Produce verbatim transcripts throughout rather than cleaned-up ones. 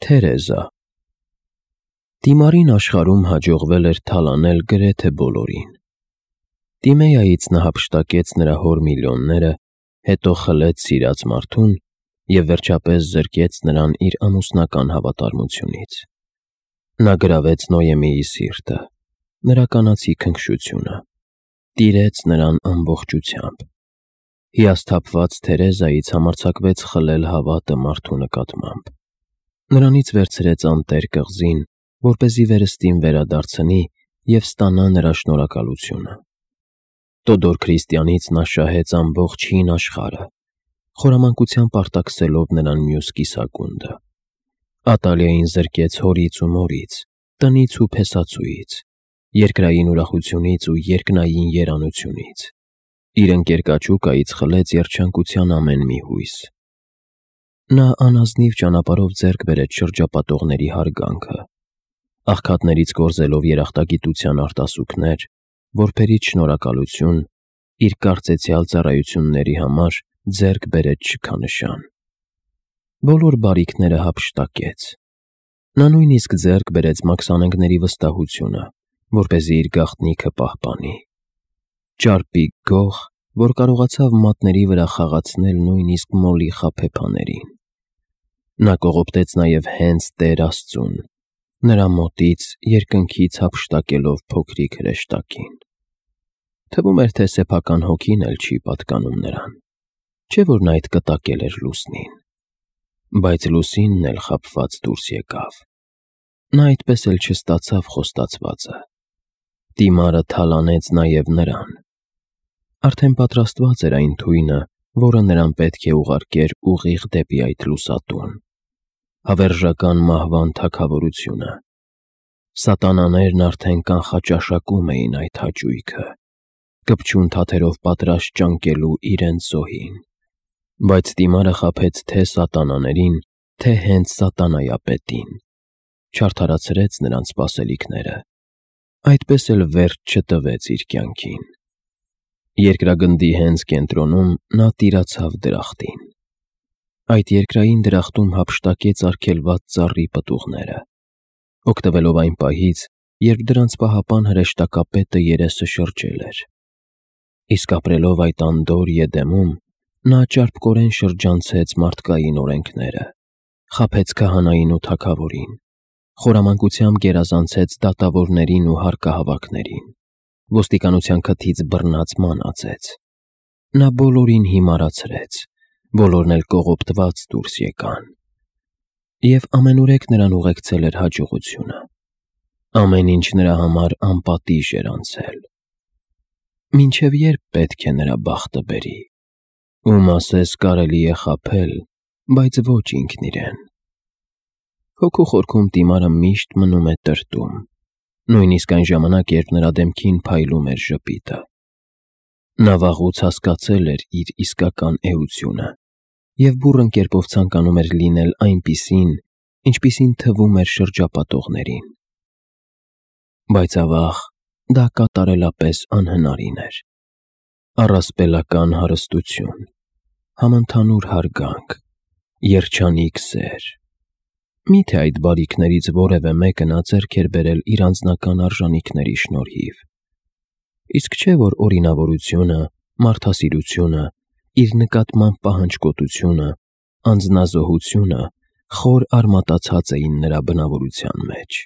Թերեզա Դիմարին աշխարհում հաջողվել էր թալանել գրեթե բոլորին։ Տիմեայից նա հափշտակեց նրա հոր միլիոնները, հետո խլեց սիրած մարդուն և վերջապես զրկեց նրան իր ամուսնական հավատարմությունից։ Նա գրավեց Նոյեմիի սիրտը, նրա կանացի քնքշությունը, տիրեց նրան ամբողջությամբ։ Հիասթափված Թերեզայից համարձակվեց խլել հավատը մարդու նկատմամբ։ Նրանից վերցրեց անտեր կղզին, որպեսզի վերստին վերադարձնի և ստանա նրա շնորհակալությունը։ Տոդոր Քրիստիանից նա շահեց ամբողջ հին աշխարհը, խորամանկությամբ արտաքսելով նրան մյուս կիսագունդը։ Ատալիային զրկեց հորից ու մորից, տնից ու փեսացուից, երկրային ուրախությունից ու երկնային երանությունից, իր ընկեր Կաչուկայից խլեց երջանկության ամեն մի հույս։ Նա անազնիվ ճանապարհով ձեռք բերեց շրջապատողների հարգանքը, աղքատներից կորզելով երախտագիտության արտասուքներ, որբերից շնորհակալություն, իր կարծեցյալ ծառայությունների համար ձեռք բերեց շքանշան։ Բոլոր բարիքները հափշտակեց։ Նա նույնիսկ ձեռք բերեց մաքսանենգների վստահությունը, որպեսզի իր գաղտնիքը պահպանի։ Ճարպիկ գող, որ կարողացավ մատների վրա խաղացնել նույնիսկ մոլի խաբեբաներին։ Նա կողոպտեց նաև հենց Տեր Աստծուն, նրա մոտից երկնքից հափշտակելով փոքրիկ հրեշտակին։ Թվում էր, թե սեփական հոգին էլ չի պատկանում նրան, չէ՞ որ նա այդ կտակել էր լուսնին։ Բայց լուսինն էլ խաբված դուրս եկավ։ Նա այդպես էլ չստացավ խոստացվածը։ Տիմարը թալանեց նաև նրան։ Արդեն պատրաստված էր այն թույնը, որը նրան պետք է ուղարկեր ուղիղ դեպի այդ լուսատուն։ Հավերժական մահվան թագավորությունը։ Սատանաներն արդեն կանխաճաշակում էին այդ հաճույքը, կպչուն թաթերով պատրաստ ճանկելու իրենց զոհին։ Բայց Տիմարը խաբեց թե սատանաներին, թե հենց սատանայապետին, չարդարացրեց նրանց սպասելիքները, այդպես էլ վերջ չտվեց իր կյանքին։ Երկրագնդի հենց կենտրոնում նա տիրացավ դրախտին։ Այդ երկրային դրախտում հափշտակեց արգելված ծառի պտուղները, օգտվելով այն պահից, երբ դրանց պահապան հրեշտակապետը երեսը շրջել էր։ Իսկ ապրելով այդ անդորր Եդեմում, նա ճարպկորեն շրջանցեց մարդկային օրենքները, խաբեց քահանային ու թագավորին, խորամանկությամբ գերազանցեց դատավորներին ու հարկահավաքներին, ոստիկանության քթից բռնած մանածեց։ Նա բոլորին հիմարացրեց, բոլորն էլ կողոպտված դուրս եկան։ Եվ ամենուրեք նրան ուղեկցել էր հաջողությունը։ Ամեն ինչ նրա համար անպատիժ էր անցել։ Մինչև ե՞րբ պետք է նրա բախտը բերի։ Ում ասես կարելի է խաբել, բայց ոչ ինքն իրեն։ Հոգու խորքում Տիմարը միշտ մնում է տրտում, նույնիսկ այն ժամանակ, երբ նրա դեմքին փայլում էր ժպիտը։ Նա վաղուց հասկացել էր իր իսկական էությունը և բուռն կերպով ցանկանում էր լինել այնպիսին, ինչպիսին թվում էր շրջապատողներին։ Բայց ավաղ, դա կատարելապես անհնարին էր։ Առասպելական հարստություն, համընդհանուր հարգանք, երջանիկ սեր։ Մի՞թե այդ բարիքներից որևէ մեկը նա ձեռք էր բերել իր անձնական արժանիքների շնորհիվ։ Իսկ չէ՞ որ օրինավորությունը, մարդասիրությունը, իր նկատմամբ պահանջկոտությունը, անձնազոհությունը խոր արմատացած էին նրա բնավորության մեջ։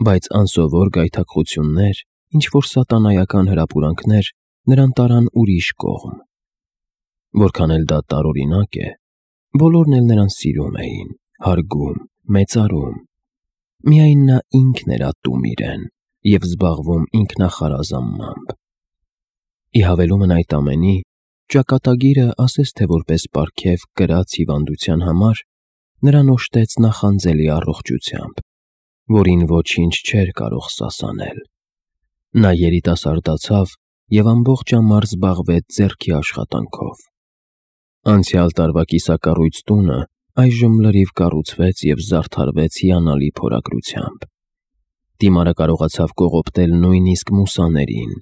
Բայց անսովոր գայթակղություններ, ինչ-որ սատանայական հրապուրանքներ նրան տարան ուրիշ կողմ։ Որքան էլ դա տարօրինակ է, բոլորն էլ նրան սիրում էին, հարգում, մեծարում։ Միայն նա ինքն էր ատում իրեն և զբաղվում ինքնախարազանմամբ։ Ի հավելումն այդ ամենի, ճակատագիրը, ասես թե որպես պարգև կրած հիվանդության համար, նրան օժտեց նախանձելի առողջությամբ, որին ոչինչ չէր կարող սասանել։ Նա երիտասարդացավ և ամբողջ ամառ զբաղվեց ձեռքի աշխատանքով։ Անցյալ տարվա կիսակառույց տունը այժմ լրիվ կառուցվեց և զարդարվեց հիանալի փորագրությամբ։ Տիմարը կարողացավ կողոպտել նույնիսկ մուսաներին,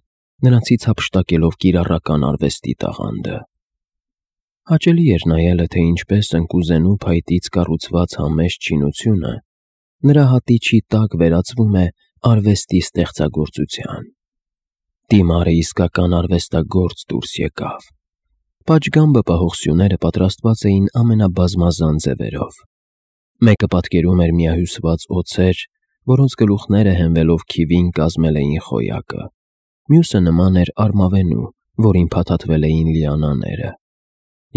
նրանցից հափշտակելով կիրառական արվեստի տաղանդը։ Հաճելի էր նայելը, թե ինչպես ընկուզենու փայտից կառուցված համեստ շինությունը նրա հատիչի տակ վերածվում է արվեստի ստեղծագործության։ Դիմարը իսկական արվեստագործ դուրս եկավ։ Պատշգամբը պահող սյուները պատրաստված էին ամենաբազմազան ձևերով։ Մեկը պատկերում էր միահյուսված օձեր, որոնց գլուխները հենվելով քիվին կազմել էին խոյակը, մյուսը նման էր արմավենու, որին փաթաթվել էին լիանաները,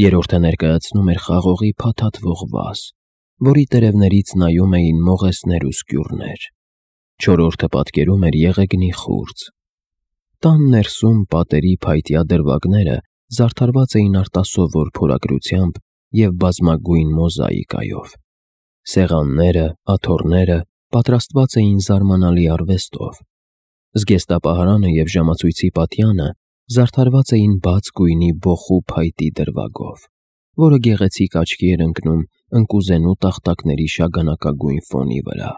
երրորդը ներկայացնում էր խաղողի փաթաթվող վազ, որի տերևներից նայում էին մողեսներ ու սկյուռներ, չորրորդը պատկերում էր եղեգնի խուրձ։ Տան ներսում պատերի փայտյա դրվագները զարդարված էին արտասովոր փորագրությամբ և բազմագույն մոզաիկայով։ Սեղանները, աթոռները պատրաստված էին զարմանալի արվեստով։ Զգեստապահարանը և ժամացույցի պատյանը զարդարված էին բաց գույնի բոխու փայտի դրվագով, որը գեղեցիկ աչքի էր ընկնում ընկուզենու տախտակների շագանակագույն ֆոնի վրա։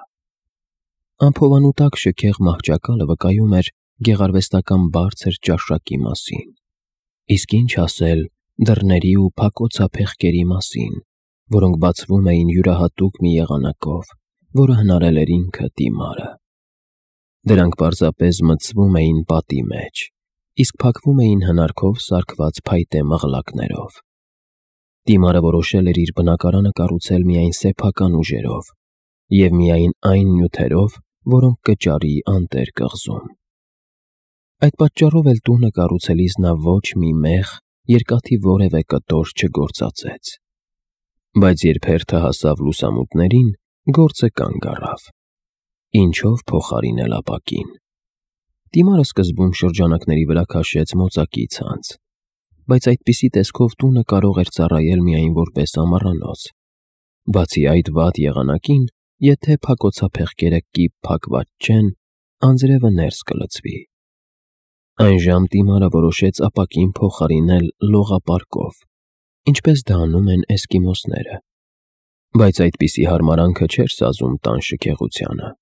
Անփովանու տակ շքեղ մահճակալը վկայում էր գեղարվեստական բարձր ճաշակի մասին, իսկ ինչ ասել դռների ու փակոցափեղկերի մասին, որոնք բացվում էին յուրահատուկ մի եղանակով, որը հնարել էր ինքը Դիմարը։ Դրանք պարզապես մտցվում էին պատի մեջ, իսկ փակվում էին հնարքով սարքված փայտե մղլակներով։ Դիմարը որոշել էր իր բնակարանը կառուցել միայն սեփական ուժերով և միայն այն նյութերով, որոնք կճարի անտեր կղզում։ Այդ պատճառով էլ տունը կառուցելիս նա ոչ մի մեղ, երկաթի որևէ կտոր չգործածեց։ Բայց երբ հերթը հասավ լուսամուտներին, գործը կանգ առավ։ Ինչով փոխարինել ապակին։ Դիմարը սկզբում շրջանակների վրա քաշեց մոծակի ցանց, բայց այդպիսի տեսքով տունը կարող էր ծառայել միայն որպես ամառանոց։ Բացի այդ վատ եղանակին, եթե փակոցափեղկերը կիպ փակված չեն, անձրևը ներս կլցվի։ Այժմ Դիմարը որոշեց ապակին փոխարինել լողապարկով, ինչպես դա անում են էսկիմոսները։ Բայց այդպիսի հարմարանքը չէր սազում տան շքեղությանը։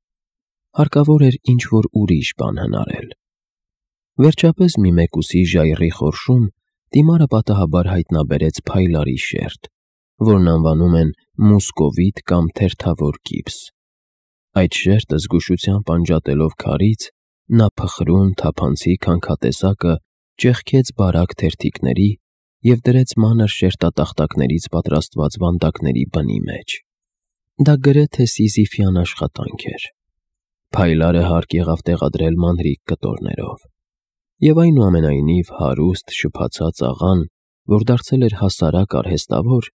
Հարկավոր էր ինչ-որ ուրիշ բան հնարել։ Վերջապես մի մեկուսի ժայռի խորշում Դիմարը պատահաբար հայտնաբերեց փայլարի շերտ, որն անվանում են մուսկովիտ կամ թերթավոր գիպս։ Այդ շերտը զգուշությամբ անջատելով քարից, նա փխրուն թափանցիկ հանքատեսակը ճեղքեց բարակ թերթիկների և դրեց մանր շերտատախտակներից պատրաստված վանդակների բնի մեջ։ Դա գրեթե սիզիֆյան աշխատանք էր։ Փայլարը հարկ եղավ տեղադրել մանրիկ կտորներով, և այնուամենայնիվ հարուստ, շփացած աղան, որ դարձել էր հասարակ արհեստավոր,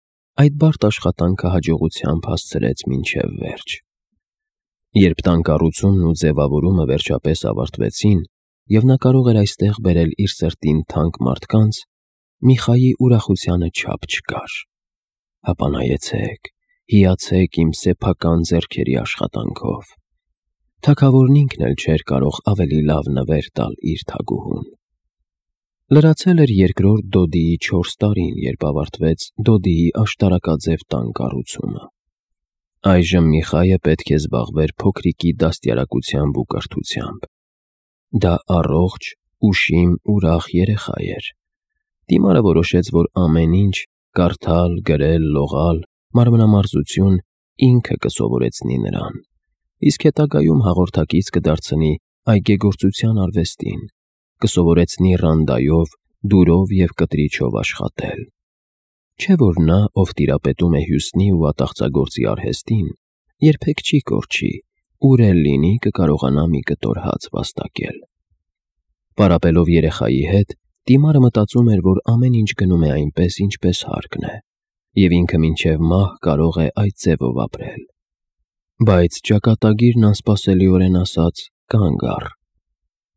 այդ բարդ աշխատանքը հաջողությամբ հասցրեց մինչև վերջ։ Երբ տան կառուցումն ու ձևավորումը վերջապես ավարտվեցին, և նա կարող էր այստեղ բերել իր սրտին թանկ մարդկանց, Միխայի ուրախությանը չափ չկար։ Հապա նայեցեք, հիացեք իմ սեփական ձեռքերի աշխատանքով։ Թագավորն ինքն էլ չէր կարող ավելի լավ նվեր տալ իր թագուհուն։ Լրացել էր երկրորդ Դոդիի չորս տարին, երբ ավարտվեց Դոդիի աշտարակաձև տան կառուցումը։ Այժմ Միխայը պետք է զբաղվեր փոքրիկի դաստիարակությամբ ու կրթությամբ։ Դա առողջ, ուշիմ, ուրախ երեխա էր։ Դիմարը որոշեց, որ ամեն ինչ՝ կարդալ, գրել, լողալ, մարմնամարզություն, ինքը կսովորեցնի նրան, իսկ հետագայում հաղորդակից կդարձնի այգեգործության արվեստին, կսովորեցնի ռանդայով, դուրով և կտրիչով աշխատել։ Չէ՞ որ նա, ով տիրապետում է հյուսնի ու ատաղծագործի արհեստին, երբեք չի կորչի, ուր էլ լինի կկարողանա մի կտոր հաց վաստակել։ Պարապելով երեխայի հետ, Դիմարը մտածում էր, որ ամեն ինչ գնում է այնպես, ինչպես հարկն է, և ինքը մինչև մահ կարող է այդ ձևով ապրել։ Բայց ճակատագիրն անսպասելիորեն ասաց. «Կանգ առ»։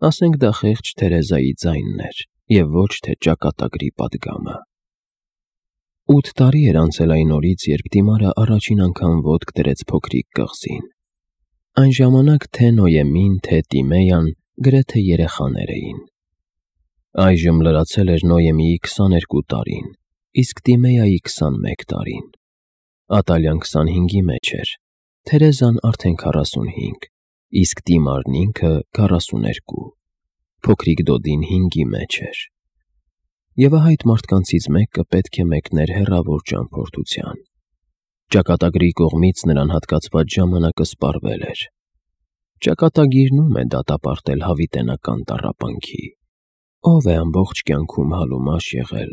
Ասենք դա խեղճ Թերեզայի ձայնն էր, և ոչ թե ճակատագրի պատգամը։ Ութ տարի էր անցել այն օրից, երբ Դիմարը առաջին անգամ ոտք դրեց փոքրիկ կղզին։ Այն ժամանակ թե Նոյեմին, թե Տիմեյան գրեթե երեխաներ էին։ Այժմ լրացել էր Նոյեմիի քսաներկու տարին, իսկ Տիմեյայի քսանմեկ տարին։ Ատալյան քսանհինգի մեջ էր, Թերեզան արդեն քառասունհինգ, իսկ Դիմարն ինքը քառասուներկու։ Փոքրիկ Դոդին հինգի մեջ էր։ եւ այդ մարդկանցից մեկը պետք է մեկներ հեռավոր ճամփորդության։ Ճակատագրի կողմից նրան հատկացված ժամանակը սպառվել էր։ Ճակատագիրնում է դատապարտել հավիտենական տառապանքի։ Ով է ամբողջ կյանքում հալումաշ եղել,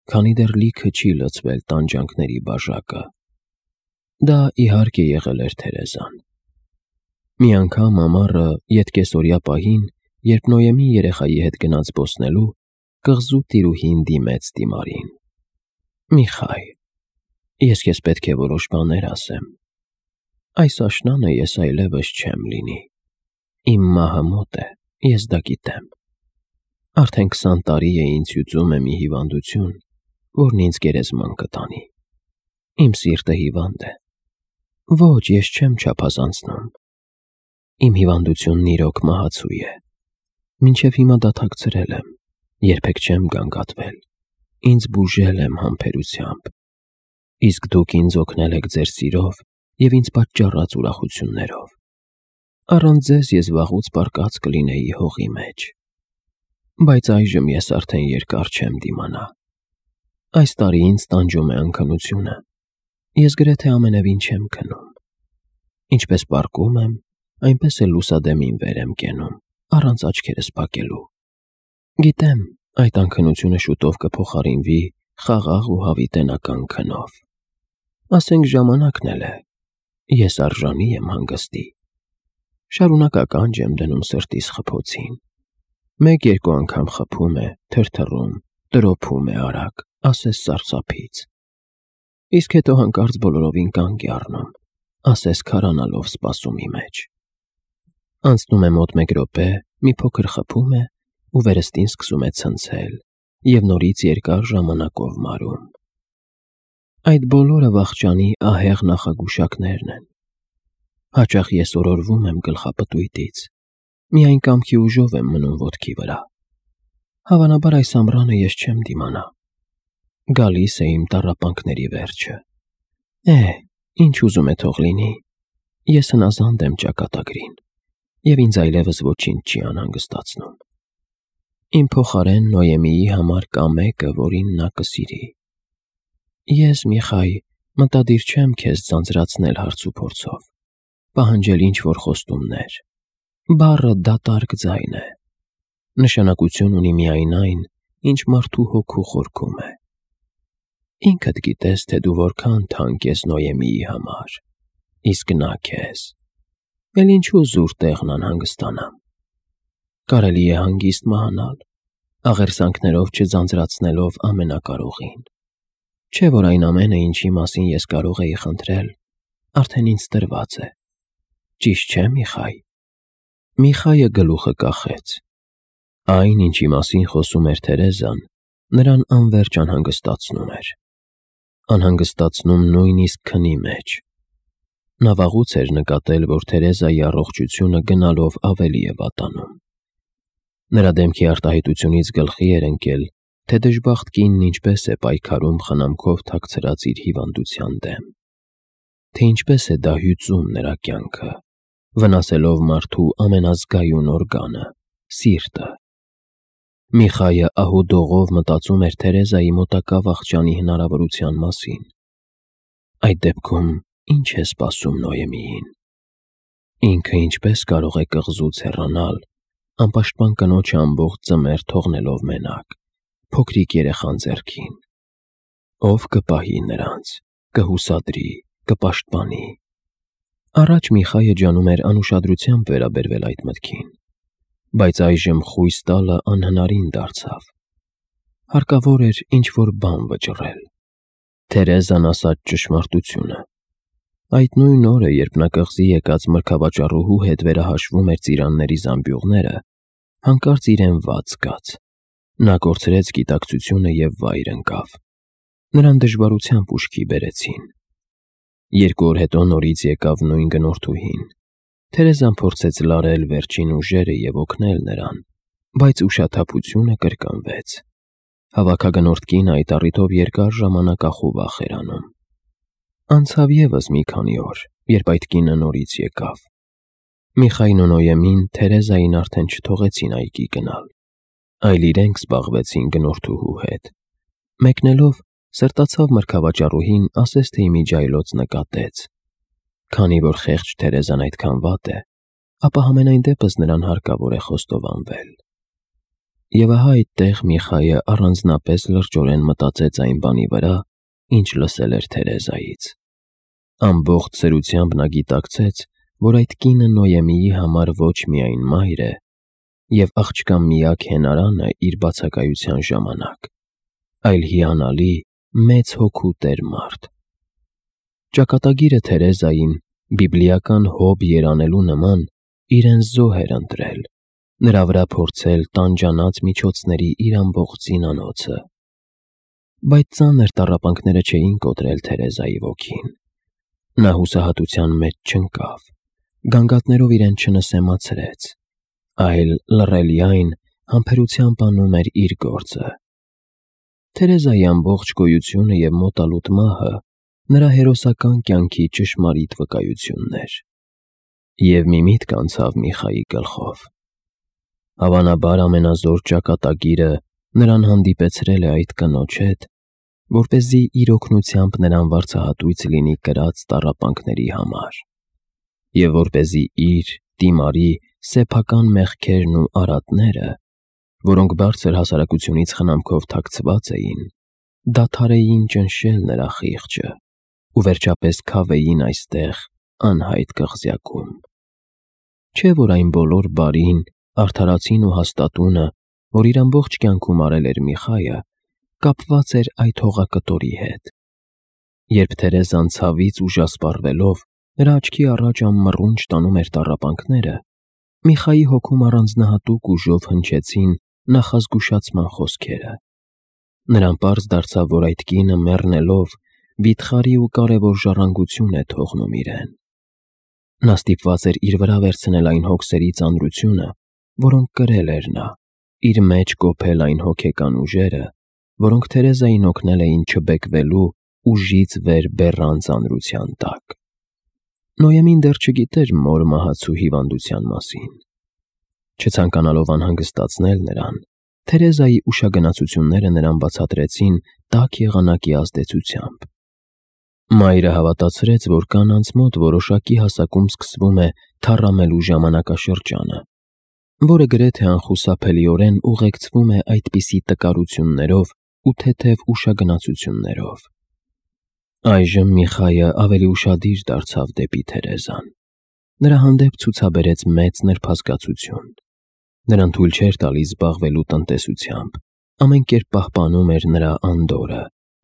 քանի դեռ լիքը չի լցվել տանջանքների բաժակը։ Դա իհարկե եղել էր Թերեզան։ Մի անգամ ամառը ետկեսօրյա պահին, երբ Նոյեմի երեխայի հետ գնաց զբոսնելու, կղզու տիրուհին դիմեց Տիմարին։ Միխայ, ես քեզ պետք է որոշ բաներ ասեմ։ Այս աշնանը ես այլևս չեմ լինի։ Իմ մահը մոտ է, ես դա գիտեմ։ Արդեն քսան տարի է ինձ հյուծում է մի հիվանդություն, որն ինձ գերեզման կտանի։ Իմ սիրտը հիվանդ է։ Ոչ, ես չեմ չափազանցնում։ Իմ հիվանդությունն իրոք մահացու է։ Մինչև հիմա դատակցրել եմ, երբեք չեմ գանգատվել։ Ինձ բուժել եմ համբերությամբ։ Իսկ դուք ինձ օգնել եք ձեր սիրով եւ ինձ պատճառած ուրախություններով։ Առանց ձեզ ես վաղուց պառկած կլինեի հողի մեջ։ Բայց այժմ ես արդեն երկար չեմ դիմանա։ Այս տարի ինձ տանջում է անքնությունը։ Ես գրեթե ամենևին չեմ քնում։ Ինչպես պառկում եմ, այնպես էլ լուսադեմին վեր եմ կենում, առանց աչքերս փակելու։ Գիտեմ, այդ անքնությունը շուտով կփոխարինվի խաղաղ ու հավիտենական քնով։ Ասենք ժամանակն էլ է։ Ես արժանի եմ հանգստի։ Շարունակ ականջ եմ դնում սրտիս խփոցին։ Մեկ-երկու անգամ խփում է, թրթռում, տրոփում է արագ, ասես սարսափից։ Իսկ հետո հանկարծ բոլորովին կանգ է առնում, ասես քարանալով սպասումի մեջ։ Անցնում է մոտ մեկ րոպե, մի փոքր խփում է ու վերստին սկսում է ցնցել եւ նորից երկար ժամանակով մարում։ Այդ բոլորը վախճանի ահեղ նախագուշակներն են։ Հաճախ ես օրորվում եմ գլխապտույտից, միայն կամքի ուժով եմ մնում ոտքի վրա։ Հավանաբար այս ամռանը ես չեմ դիմանա։ Գալիս է իմ տառապանքների վերջը։ Է, ինչ ուզում է թող լինի։ Ես հնազանդ եմ ճակատագրին, եւ ինձ այլևս ոչինչ չի անհանգստացնում։ Իմ փոխարեն Նոյեմիի համար կա մեկը, որին նա կսիրի։ Ես, Միխայ, մտադիր չեմ քեզ ձանձրացնել հարցուփորձով, պահանջել ինչ-որ խոստումներ։ Բառը դատարկ ձայն է։ Նշանակություն ունի միայն այն, ինչ մարդու հոգու խորքում է։ Ինքդ գիտես, թե դու որքան թանկ ես Նոյեմիի համար, իսկ նա քեզ։ Էլ ինչու զուր տեղն անհանգստանամ։ Կարելի է հանգիստ մահանալ, աղերսանքներով չձանձրացնելով ամենակարողին։ Չէ՞ որ այն ամենը, ինչի մասին ես կարող էի խնդրել, արդեն ինձ տրված է։ Ճիշտ չէ՞, Միխայ։ Միխայը գլուխը կախեց։ Այն, ինչի մասին խոսում էր Թերեզան, նրան անվերջ անհանգստացնում էր։ Անհանգստացնում նույնիսկ քնի մեջ։ Նա վաղուց էր նկատել, որ Թերեզայի առողջությունը գնալով ավելի է վատանում։ Նրա դեմքի արտահայտությունից գլխի էր ընկել, թե դժբախտ կինն ինչպես է պայքարում խնամքով թաքցրած իր հիվանդության դեմ, թե ինչպես է դա հյուծում նրա կյանքը, վնասելով մարդու ամենազգայուն օրգանը՝ սիրտը։ Միխայը ահուդողով մտածում էր Թերեզայի մոտակա վախճանի հնարավորության մասին։ Այդ դեպքում ինչ է սպասում Նոյեմիին։ Ինքը ինչպես կարող է կղզուց հեռանալ, անպաշտպան կնոջը ամբողջ ձմեռ թողնելով մենակ, փոքրիկ երեխան ձեռքին։ Ով կպահի նրանց, կհուսադրի, կպաշտպանի։ Առաջ Միխայը ջանում էր անուշադրությամբ վերաբերվել այդ մտքին, բայց այժմ խույս տալը անհնարին դարձավ։ Հարկավոր էր ինչ-որ բան վճռել։ Թերեզան ասաց ճշմարտությունը։ Այդ նույն օրը, երբ նա կղզի եկած մրգավաճառուհու հետ վերահաշվում էր ծիրանների զամբյուղները, հանկարծ իրեն վատ զգաց։ Նա կորցրեց գիտակցությունը և վայր ընկավ։ Նրան դժվարությամբ ուշքի բերեցին։ Երկու օր հետո նորից եկավ նույն գնորդուհին։ Թերեզան փորձեց լարել վերջին ուժերը և օգնել նրան, բայց ուշաթափությունը կրկնվեց։ Հավաքագնորդ կինը այդ առիթով երկար ժամանակ ախուվախ էր անում։ Անցավ ևս մի քանի օր, երբ այդ կինը նորից եկավ։ Միխայն ու Նոյեմին Թերեզային արդեն չթողեցին այգի գնալ։ այլ իրենք զբաղվեցին գնորդուհու հետ։ Մեկնելով, սրտացավ մրգավաճառուհին ասես թե իմիջիայլոց նկատեց։ Քանի որ խեղճ Թերեզան այդքան վատ է, ապա համենայն դեպս նրան հարկավոր է խոստովանվել։ Եվ ահա այդտեղ Միխայը առանձնապես լրջորեն մտածեց այն բանի վրա, ինչ լսել էր Թերեզայից։ Ամբողջ սրությամբ նա գիտակցեց, որ այդ կինը Նոյեմիի համար ոչ միայն մայր է, և աղջկա միակ հենարանը իր բացակայության ժամանակ, այլ հիանալի մեծ հոգու տեր մարդ։ Ճակատագիրը Թերեզային, բիբլիական Հոբ երանելու նման, իրեն զոհ էր ընտրել, նրա վրա փորձել տանջանած միջոցների իր ամբողջ զինանոցը։ Բայց ծանր տառապանքները չէին կոտրել Թերեզայի ոգին։ Նա հուսահատության մեջ չընկավ, գանգատներով իրեն չնսեմացրեց, այլ լռելիայն համբերությամբ անում էր իր գործը։ Թերեզայի ամբողջ գոյությունը և մոտալուտ մահը նրա հերոսական կյանքի ճշմարիտ վկայությունն էր։ Եվ մի միտք անցավ Միխայի գլխով. հավանաբար ամենազոր ճակատագիրը նրան հանդիպեցրել է այդ կնոջ հետ, որպեսզի իր օգնությամբ նրան վարձահատույց լինի կրած տառապանքների համար, և որպեսզի իր, Տիմարի, սեփական մեղքերն ու արատները, որոնք բարձր հասարակությունից խնամքով թաքցված էին, դադարեին ճնշել նրա խիղճը ու վերջապես քավեին այստեղ անհայտ կղզյակում։ Չէ՞ որ այն բոլոր բարին, արդարացին ու հաստատունը, որ իր ամբողջ կյանքում արել էր Միխայը, կապված էր այդ հողակտորի հետ։ Երբ Թերեզան ցավից ուժասպառվելով նրա աչքի առաջ անմռունչ տանում էր տառապանքները, Միխայի հոգում առանձնահատուկ ուժով հնչեցին նախազգուշացման խոսքերը։ Նրան պարզ դարձավ, որ այդ կինը մեռնելով վիթխարի ու կարևոր ժառանգություն է թողնում իրեն։ Նա ստիպված էր իր վրա վերցնել այն հոգսերի ծանրությունը, որոնք կրել էր նա, իր մեջ կոփել այն հոգեկան ուժերը, որոնք Թերեզային օգնել էին չբեկվելու ուժից վեր բեռան ծանրության տակ։ Նոյեմին դեռ չգիտեր մոր մահացու հիվանդության մասին։ Չցանկանալով անհանգստացնել նրան, Թերեզայի ուշագնացությունները նրան բացատրեցին տաք եղանակի ազդեցությամբ։ Մայրը հավատացրեց, որ կանանց մոտ որոշակի հասակում սկսվում է թառամելու ժամանակաշրջանը, որը գրեթե անխուսափելիորեն ուղեկցվում է այդպիսի տկարություններով ու թեթև ուշագնացություններով։ Այժմ Միխայը ավելի ուշադիր դարձավ դեպի Թերեզան։ Նրա հանդեպ ցուցաբերեց մեծ նրբազգացություն։ Նրան թույլ չէր տալիս զբաղվելու տնտեսությամբ, ամեն կերպ պահպանում էր նրա անդորրը,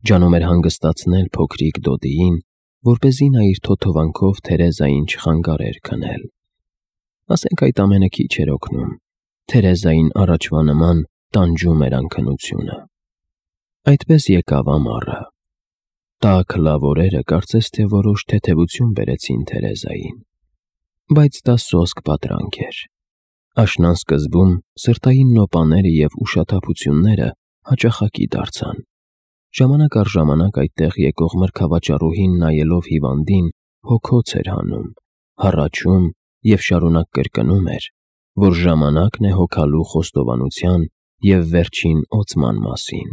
ջանում էր հանգստացնել փոքրիկ Դոդիին, որպեսզի նա իր թոթովանքով Թերեզային չխանգարեր քնել։ Ասենք այդ ամենը քիչ էր օգնում, Թերեզային առաջվա նման տանջում էր անքնությունը։ Այդպես եկավ ամառը։ Տաք լավ օրերը կարծես թե որոշ թեթևություն բերեցին Թերեզային, բայց դա սոսկ պատրանք էր։ Աշնան սկզբում սրտային նոպաները և ուշաթափությունները հաճախակի դարձան։ Ժամանակ առ ժամանակ այդտեղ եկող մրգավաճառուհին նայելով հիվանդին հոգոց էր հանում, հառաչում և շարունակ կրկնում էր, որ ժամանակն է հոգալու խոստովանության և վերջին օծման մասին։